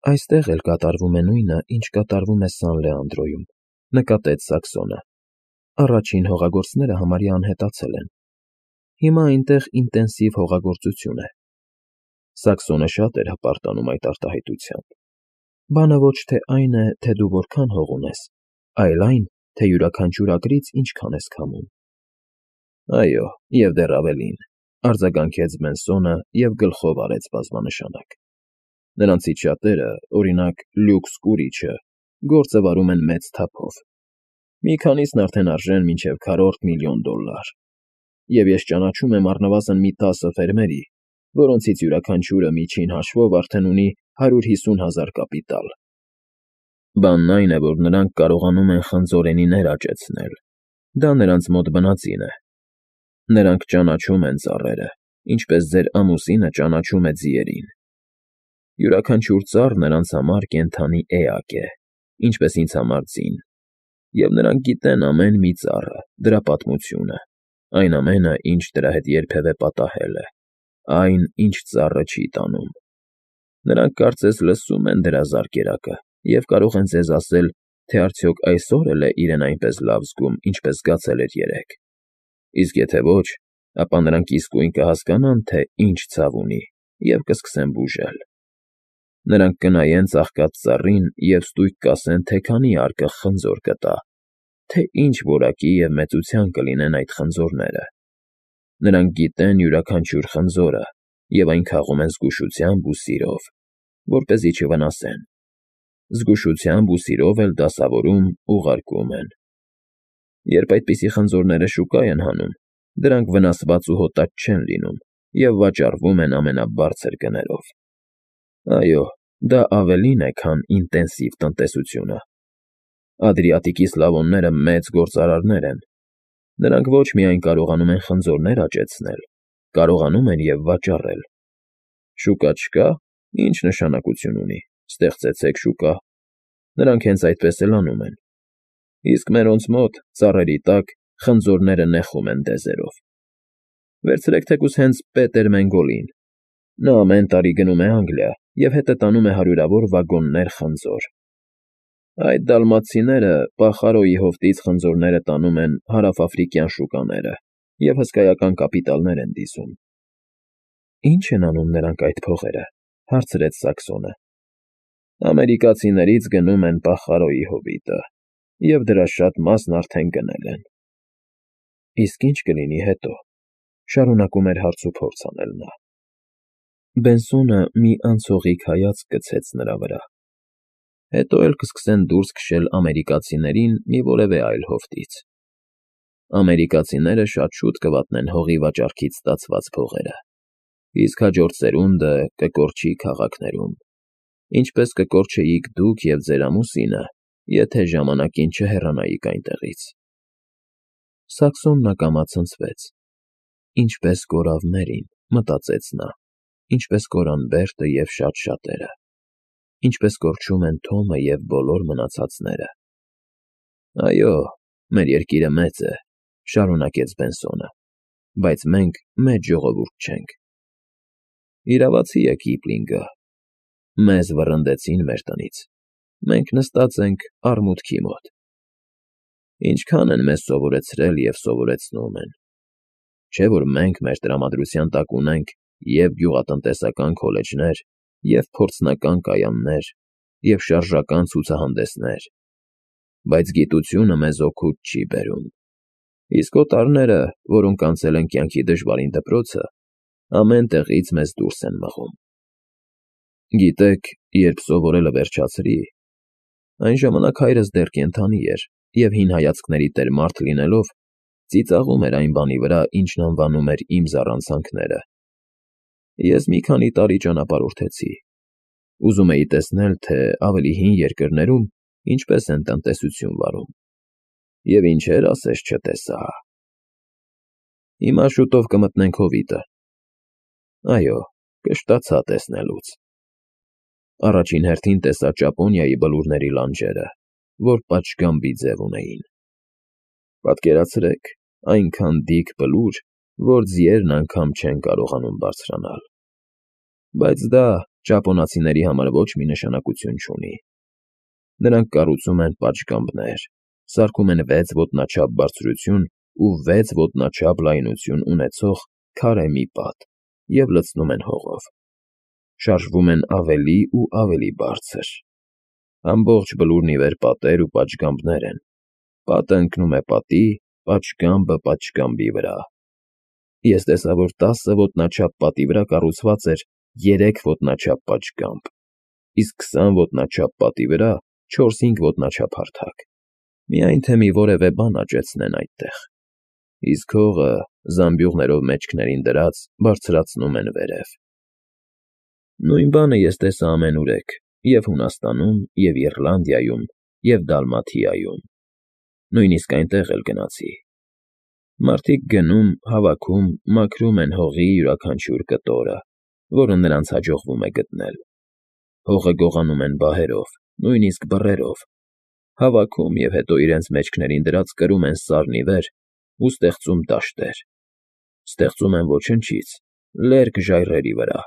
Այստեղ էլ կատարվում է նույնը, ինչ կատարվում է Սան Լեանդրոյում, նկատեց Սաքսոնը։ Առաջին հողագործները համարյա անհետացել են։ Հիմա այնտեղ ինտենսիվ հողագործություն է։ Սաքսոնը շատ էր հպարտանում այդ արտահայտությամբ։ Բանը ոչ թե այն է, թե դու որքան հող ունես, այլ այն, թե յուրաքանչյուր ակրից ինչքան ես քամում։ Այո, և դեռ ավելին, արձագանքեց Բենսոնը և գլխով արեց բազմանշանակ։ Նրանցից շատերը, օրինակ, Լյուքս Կուրիչը, գործը վարում են մեծ թափով։ Մի քանիսն արդեն արժեն մինչև $400,000,000, և ես ճանաչում եմ առնվազն մի 10 ֆերմերի, որոնցից յուրաքանչյուրը միջին հաշվով արդեն ունի 150,000 կապիտալ։ Բանն այն է, որ նրանք կարողանում են խնձորենիներ աճեցնել։ Դա նրանց մոտ բնածին է։ Նրանք ճանաչում են ծառերը, ինչպես ձեր ամուսինը ճանաչում է ձիերին։ Յուրաքանչյուր ծառ նրանց համար կենդանի էակ է, ինչպես ինձ համար ձին, և նրանք գիտեն ամեն մի ծառը, դրա պատմությունը, այն ամենը, ինչ դրա հետ երբևէ պատահել է, այն, ինչ ծառը չի տանում։ Նրանք կարծես լսում են դրա զարկերակը և կարող են ձեզ ասել, թե արդյոք այսօր էլ է իրեն այնպես լավ զգում, ինչպես զգացել էր երեկ։ Իսկ եթե ոչ, ապա նրանք իսկույն կհասկանան, թե ինչ ցավ ունի, և կսկսեն բուժել։ Նրանք կնայեն ծաղկած ծառին և ստույգ կասեն, թե քանի արկղ խնձոր կտա, թե ինչ որակի և մեծության կլինեն այդ խնձորները։ Նրանք գիտեն յուրաքանչյուր խնձորը և այն քաղում են զգուշությամբ ու սիրով, որպեսզի չվնասեն։ Զգուշությամբ ու սիրով էլ դասավորում, ուղարկում են։ Երբ այդպիսի խնձորները շուկա են հանում, դրանք վնասված ու հոտած չեն լինում և վաճառվում են ամենաբարձր գներով։ Այո, դա ավելին է, քան ինտենսիվ տնտեսությունը։ Ադրիատիկի Սլավոնները մեծ գործարարներ են։ Նրանք ոչ միայն կարողանում են խնձորներ աճեցնել, կարողանում են և վաճառել։ Շուկա չկա, ինչ նշանակություն ունի, ստեղծեցեք շուկա։ Նրանք հենց այդպես էլ անում են։ Իսկ մերոնց մոտ, ծառերի տակ, խնձորները նեխում են դեզերով։ Վերցրեք թեկուզ հենց Պետեր Մենգոլին։ Նա ամեն տարի գնում է Անգլիա և հետը տանում է հարյուրավոր վագոններ խնձոր։ Այդ դալմաթցիները Պախարոյի հովտից խնձորները տանում են հարավաֆրիկյան շուկաները և հսկայական կապիտալներ են դիզում։ Ի՞նչ են անում նրանք այդ փողերը, հարցրեց Սաքսոնը։ Ամերիկացիներից գնում են Պախարոյի հովիտը, և դրա շատ մասն արդեն գնել են։ Իսկ ի՞նչ կլինի հետո, շարունակում էր հարց ու փորձ անել նա։ Բենսոնը մի անցողիկ հայացք գցեց նրա վրա։ Հետո էլ կսկսեն դուրս քշել ամերիկացիներին մի որևէ այլ հովտից։ Ամերիկացիները շատ շուտ կվատնեն հողի վաճառքից ստացված փողերը, իսկ հաջորդ սերունդը կկորչի քաղաքներում, ինչպես կկորչեիք դուք և ձեր ամուսինը, եթե ժամանակին չհեռանայիք այնտեղից։ Սաքսոնն ակամա ցնցվեց։ Ինչպես կորավ Մերին, մտածեց նա, ինչպես կորան Բերտը և շատ շատերը, ինչպես կորչում են Թոմը և բոլոր մնացածները։ Այո, մեր երկիրը մեծ է, շարունակեց Բենսոնը, բայց մենք մեծ ժողովուրդ չենք։ Իրավացի է Կիպլինգը։ Մեզ վռնդեցին մեր տնից։ Մենք նստած ենք արմուտքի մոտ։ Ինչքան են մեզ սովորեցրել և սովորեցնում են։ Չէ՞ որ մենք մեր տրամադրության տակ ունենք և գյուղատնտեսական քոլեջներ, և փորձնական կայաններ, և շարժական ցուցահանդեսներ, բայց գիտությունը մեզ օգուտ չի բերում։ Իսկ օտարները, որոնք անցել են կյանքի դժվարին դպրոցը, ամեն տեղից մեզ դուրս են մղում։ Գիտեք, երբ սովորելը վերջացրի, այն ժամանակ հայրս դեռ կենդանի էր և հին հայացքների տեր մարդ լինելով, ծիծաղում էր այն բանի վրա, ինչն անվանում էր իմ զառանցանքները։ Ես մի քանի տարի ճանապարհորդեցի։ Ուզում էի տեսնել, թե ավելի հին երկրներում ինչպես են տնտեսություն վարում։ Եվ ինչեր ասես չտեսա։ Հիմա շուտով կմտնենք հովիտը։ Այո, կշտացա տեսնելուց։ Առաջին հերթին տեսա Ճապոնիայի բլուրների լանջերը, որ պատշգամբի ձև ունեին։ Պատկերացրեք, այնքան դիք բլուր, որ ձիերն անգամ չեն կարողանում բարձրանալ։ Բայց դա ճապոնացիների համար ոչ մի նշանակություն չունի։ Նրանք կառուցում են պատշգամբներ, սարքում են 6 ոտնաչափ բարձրություն ու 6 ոտնաչափ լայնություն ունեցող քարե մի պատ և լցնում են հողով։ Շարժվում են ավելի ու ավելի բարձր։ Ամբողջ բլուրն ի վեր պատեր ու պատշգամբներ են։ Պատը ընկնում է պատի, պատշգամբը պատշգամբի վրա։ Ես տեսա, որ 10 ոտնաչափ պատի վրա կառուցված էր 3 ոտնաչափ պատշգամբ, իսկ 20 ոտնաչափ պատի վրա 4-5 ոտնաչափ հարթակ, միայն թե մի որևէ բան աճեցնեն այդտեղ, իսկ հողը զամբյուղներով մեջքներին դրած բարձրացնում են վերև։ Նույն բանը ես տեսա ամենուրեք և Հունաստանում, և Իռլանդիայում, և Դալմաթիայում, նույնիսկ այնտեղ էլ գնացի։ Մարդիկ գնում, հավաքում, մաքրում են հողի յուրաքանչյուր կտորը, որը նրանց հաջողվում է գտնել։ Հողը գողանում են բահերով, նույնիսկ բռերով, հավաքում և հետո իրենց մեջքներին դրած կրում են սարն ի վեր ու ստեղծում դաշտեր։ Ստեղծում են ոչնչից, լերկ ժայռերի վրա։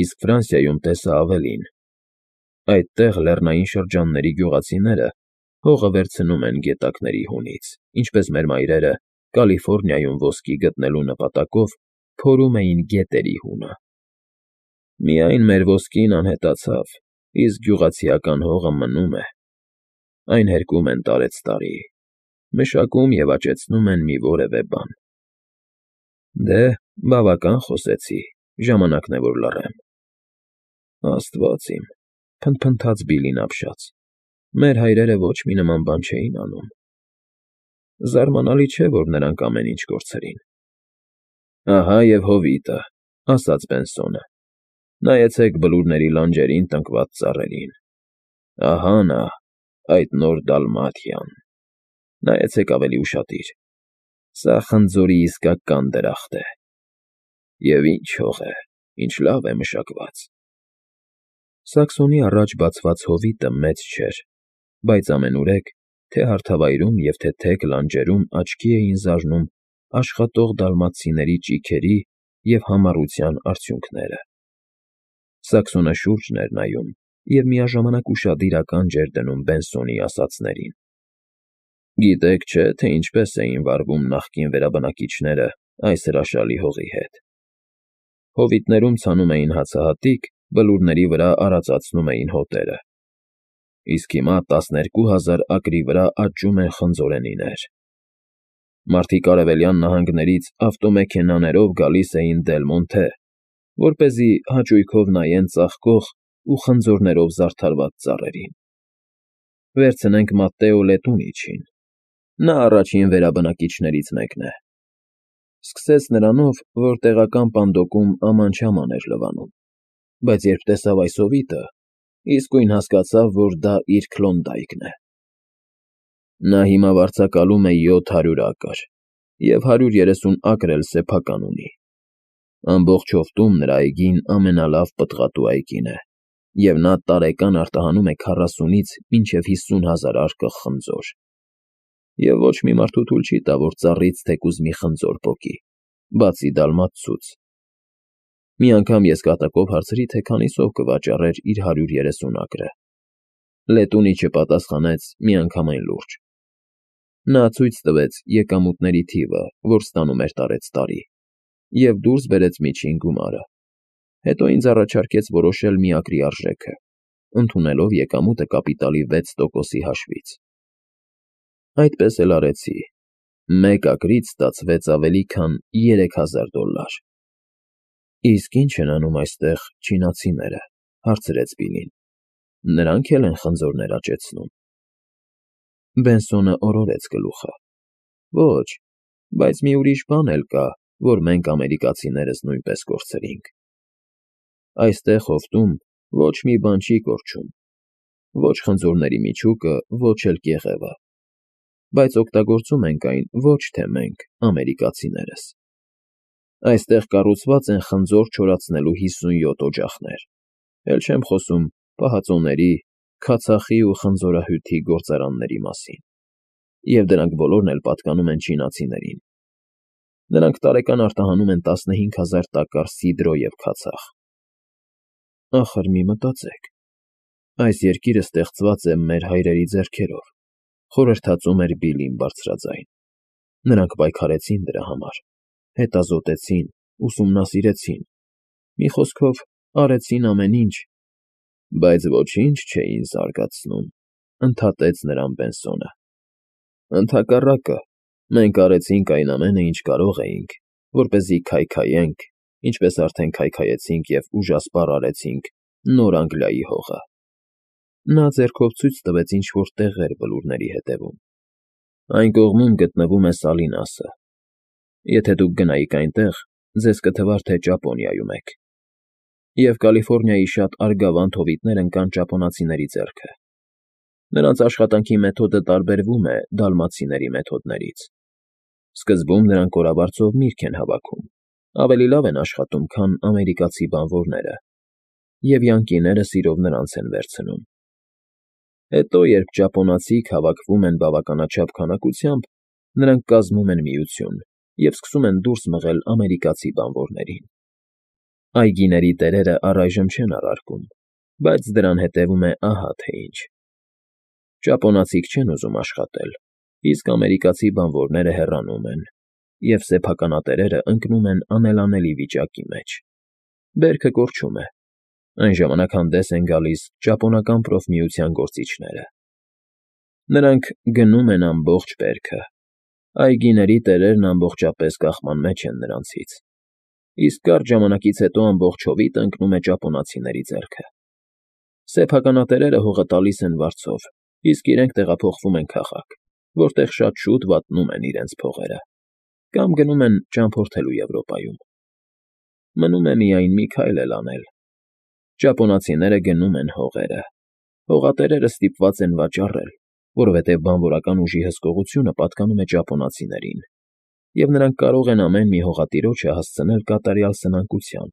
Իսկ Ֆրանսիայում տեսա ավելին. այդտեղ լեռնային շրջանների գյուղացիները հողը վերցնում են գետակների հունից, ինչպես մեր մայրերը Կալիֆոռնիայում ոսկի գտնելու նպատակով փորում էին գետերի հունը։ Միայն մեր ոսկին անհետացավ, իսկ գյուղացիական հողը մնում է։ Այն հերկում են տարեցտարի, մշակում և աճեցնում են մի որևէ բան։ Դե, բավական խոսեցի, ժամանակն է, որ լռեմ։ Աստված իմ, փնթփնթաց Բիլլին ապշած, մեր հայրերը ոչ մի նման բան չէին անում։ Զարմանալի չէ, որ նրանք ամեն ինչ կորցրին։ Ահա և հովիտը, ասաց Բենսոնը, նայեցեք բլուրների լանջերին տնկված ծառերին։ Ահա նա, այդ նոր Դալմաթիան։ Նայեցեք ավելի ուշադիր։ Սա խնձորի իսկական դրախտ է։ Եվ ինչ հող է, ինչ լավ է մշակված։ Սաքսոնի առաջ բացված հովիտը մեծ չէր, բայց ամենուրեք, թե հարթավայրում և թե թեք լանջերում աչքի էին զարնում աշխատող դալմաթցիների ճիգերի և համառության արդյունքները։ Սաքսոնը շուրջն էր նայում և միաժամանակ ուշադիր ականջ էր դնում Բենսոնի ասածներին։ Գիտեք չէ, թե ինչպես էին վարվում նախկին վերաբնակիչները այս հրաշալի հողի հետ։ Հովիտներում ցանում էին հացահատիկ, բլուրների վրա արածացնում էին հոտերը։ Իսկ հիմա 12,000 ակրի վրա աճում են խնձորենիներ։ Մարդիկ արևելյան նահանգներից ավտոմեքենաներով գալիս էին Դել Մոնթե, որպեսզի հաճույքով նայեն ծաղկող ու խնձորներով զարդարված ծառերին։ Վերցնենք Մատտեո Լետունիչին, նա առաջին վերաբնակիչներից մեկն է։ Սկսեց նրանով, որ տեղական պանդոկում աման-չաման էր լվանում, բայց երբ տեսավ այս հովիտը, իսկույն հասկացավ, որ դա իր Քլոնդայքն է։ Նա հիմա վարձակալում է 700 ակր և 130 ակր էլ սեփական ունի։ Ամբողջ հովտում նրա այգին ամենալավ պտղատու այգին է, և նա տարեկան արտահանում է 40-ից մինչև 50,000 արկղ խնձոր։ Եվ ոչ մի մարդու թույլ չի տա, որ ծառից թեկուզ մի խնձոր պոկի, բացի դալմաթցուց։ Մի անգամ ես կատակով հարցրի, թե քանիսով կվաճառեր իր 130 ակրը։ Լետունիչը պատասխանեց միանգամայն լուրջ։ Նա ցույց տվեց եկամուտների թիվը, որ ստանում էր տարեցտարի, և դուրս բերեց միջին գումարը։ Հետո ինձ առաջարկեց որոշել մի ակրի արժեքը, ընդունելով եկամուտը կապիտալի 6%-ի հաշվից։ Այդպես էլ արեցի։ Մեկ ակրից ստացվեց ավելի քան $3,000։ Իսկ ի՞նչ են անում այստեղ չինացիները, հարցրեց Բիլլին։ Նրանք էլ են խնձորներ աճեցնում։ Բենսոնը օրորեց գլուխը։ Ոչ, բայց մի ուրիշ բան էլ կա, որ մենք ամերիկացիներս նույնպես կորցրինք։ Այստեղ հովտում ոչ մի բան չի կորչում, ոչ խնձորների միջուկը, ոչ էլ կեղևը, բայց օգտագործում ենք այն ոչ թե մենք, ամերիկացիներս։ Այստեղ կառուցված են խնձոր չորացնելու 57 օջախներ, էլ չեմ խոսում պահածոների, քացախի ու խնձորահյութի գործարանների մասին, և դրանք բոլորն էլ պատկանում են չինացիներին։ Նրանք տարեկան արտահանում են 15,000 տակառ սիդրո և քացախ։ Ախր մի մտածեք, այս երկիրը ստեղծված է մեր հայրերի ձեռքերով, խորհրդածում էր Բիլլին բարձրաձայն։ Նրանք պայքարեցին դրա համար, հետազոտեցին, ուսումնասիրեցին, մի խոսքով, արեցին ամեն ինչ, բայց ոչինչ չէին զարգացնում, ընդհատեց նրան Բենսոնը։ Ընդհակառակը, մենք արեցինք այն ամենը, ինչ կարող էինք, որպեսզի քայքայենք, ինչպես արդեն քայքայեցինք և ուժասպառ արեցինք Նոր Անգլիայի հողը։ Նա ձեռքով ցույց տվեց ինչ֊որ տեղեր բլուրների հետևում։ Այն կողմում գտնվում է Սալինասը։ Եթե դուք գնայիք այնտեղ, ձեզ կթվար, թե Ճապոնիայում եք։ Եվ Կալիֆոռնիայի շատ արգավանդ հովիտներ ընկան ճապոնացիների ձեռքը։ Նրանց աշխատանքի մեթոդը տարբերվում է դալմացիների մեթոդներից։ Սկզբում նրանք կորաբարձով միրգ են հավաքում, ավելի լավ են աշխատում, քան ամերիկացի բանվորները, և յանկիները սիրով նրանց են վերցնում։ Հետո, երբ ճապոնացիք հավաքվում են բավականաչափ քանակությամբ, նրանք կազմում են միություն և սկսում են դուրս մղել ամերիկացի բանվորներին։ Այգիների տերերը առայժմ չեն առարկում, բայց դրան հետևում է ահա թե ինչ. ճապոնացիք չեն ուզում աշխատել, իսկ ամերիկացի բանվորները հեռանում են, և սեփականատերերը ընկնում են անելանելի վիճակի մեջ։ Բերքը կորչում է։ Այն ժամանակ հանդես են գալիս ճապոնական պրոֆմիության գործիչները։ Նրանք գնում են ամբողջ բերքը, այգիների տերերն ամբողջապես կախման մեջ են նրանցից, իսկ կարճ ժամանակից հետո ամբողջ հովիտը ընկնում է ճապոնացիների ձեռքը։ Սեփականատերերը հողը տալիս են վարձով, իսկ իրենք տեղափոխվում են քաղաք, որտեղ շատ շուտ վատնում են իրենց փողերը, կամ գնում են ճամփորդելու Եվրոպայում։ Մնում է միայն մի քայլ էլ անել։ Ճապոնացիները գնում են հողերը, հողատերերը ստիպված են վաճառել, որովհետև բանվորական ուժի հսկողությունը պատկանում է ճապոնացիներին, և նրանք կարող են ամեն մի հողատիրոջը հասցնել կատարյալ սնանկության։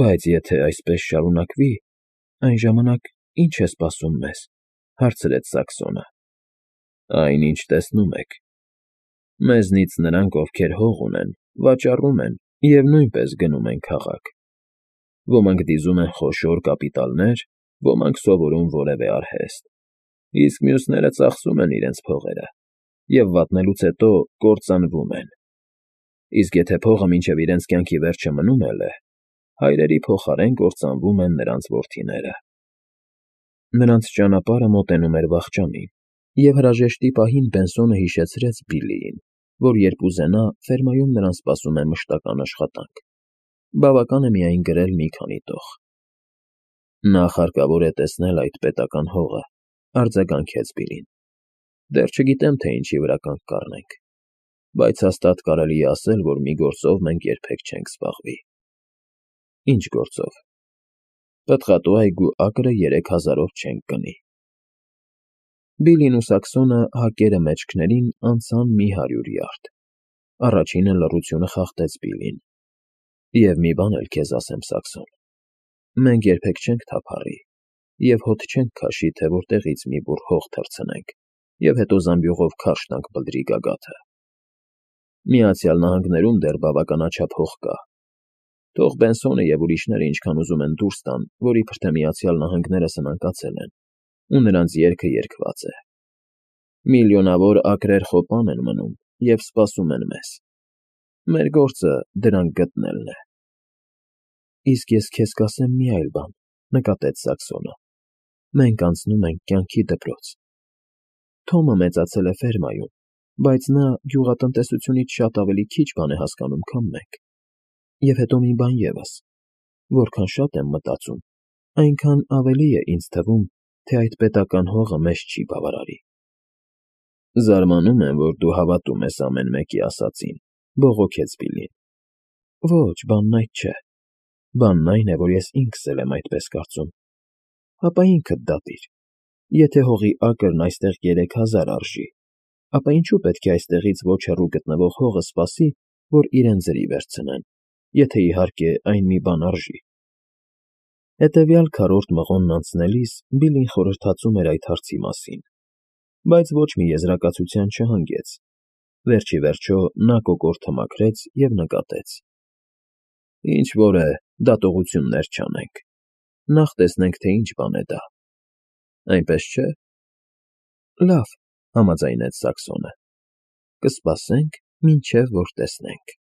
Բայց եթե այսպես շարունակվի, այն ժամանակ ի՞նչ է սպասում մեզ,֊ հարցրեց Սաքսոնը։ Այն, ինչ տեսնում եք։ Մեզնից նրանք, ովքեր հող ունեն, վաճառում են և նույնպես գնում են քաղաք։ Ոմանք դիզում են խոշոր կապիտալներ, ոմանք սովորում որևէ արհեստ, իսկ մյուսները ծախսում են իրենց փողերը և վատնելուց հետո կործանվում են։ Իսկ եթե փողը մինչև իրենց կյանքի վերջը մնում էլ է, հայրերի փոխարեն կործանվում են նրանց որդիները։ Նրանց ճանապարհը մոտենում էր վախճանին, և հրաժեշտի պահին Բենսոնը հիշեցրեց Բիլլիին, որ երբ ուզենա, ֆերմայում նրան սպասում է մշտական աշխատանք։ Բավական է միայն գրել մի քանի տող։ Նախ հարկավոր է տեսնել այդ պետական հողը, արձագանքեց Բիլլին։ Դեռ չգիտեմ, թե ինչի վրա կանգ կառնենք, բայց հաստատ կարելի է ասել, որ մի գործով մենք երբեք չենք զբաղվի։ Ինչ գործով։ Պտղատու այգու ակրը 3000-ով չենք կնի։ Բիլլին ու Սաքսոնը հակերը մեջքներին անցան մի 100 յարդ։ Առաջինը լռությունը խախտեց Բիլլին։ Եվ մի բան էլ քեզ ասեմ, Սաքսոն, մենք երբեք չենք թափառի և հոտ չենք քաշի, թե որտեղից մի բուռ հող թռցնենք և հետո զամբյուղով քարշ տանք բլրի գագաթը։ Միացյալ Նահանգներում դեռ բավականաչափ հող կա։ Թող Բենսոնը և ուրիշները ինչքան ուզում են դուրս տան, որ իբր թե Միացյալ Նահանգները սնանկացել են, ու նրանց երգը երգված է։ Միլիոնավոր ակրեր խոպան են մնում և սպասում են մեզ։ Մեր գործը դրանք գտնելն է։ Իսկ ես քեզ կասեմ մի այլ բան,֊ նկատեց Սաքսոնը։ Մենք անցնում ենք կյանքի դպրոց։ Թոմը մեծացել է ֆերմայում, բայց նա գյուղատնտեսությունից շատ ավելի քիչ բան է հասկանում, քան մենք։ Եվ հետո մի բան ևս. որքան շատ եմ մտածում, այնքան ավելի է ինձ թվում, թե այդ պետական հողը մեզ չի բավարարի։ Զարմանում եմ, որ դու հավատում ես ամեն մեկի ասածին,֊ բողոքեց Բիլլին։ Ոչ, բանն այդ չէ։ Բանն այն է, որ ես ինքս էլ եմ այդպես կարծում։ Հապա ինքդ դատիր։ Եթե հողի ակրն այստեղ 3000 արժի, ապա ինչու պետք է այստեղից ոչ հեռու գտնվող հողը սպասի, որ իրեն ձրի վերցնեն, եթե իհարկե այն մի բան արժի։ Հետևյալ քառորդ մղոնն անցնելիս Բիլլին խորհրդածում էր այդ հարցի մասին, բայց ոչ մի եզրակացության չհանգեց։ Վերջիվերջո նա կոկորդը մաքրեց և նկատեց. Ինչ որ է, դատողություններ չանենք։ Նախ տեսնենք, թե ինչ բան է դա։ Այնպես չէ՞։ Լավ, համաձայնեց Սակսոնը։ Կսպասենք, մինչև որ տեսնենք։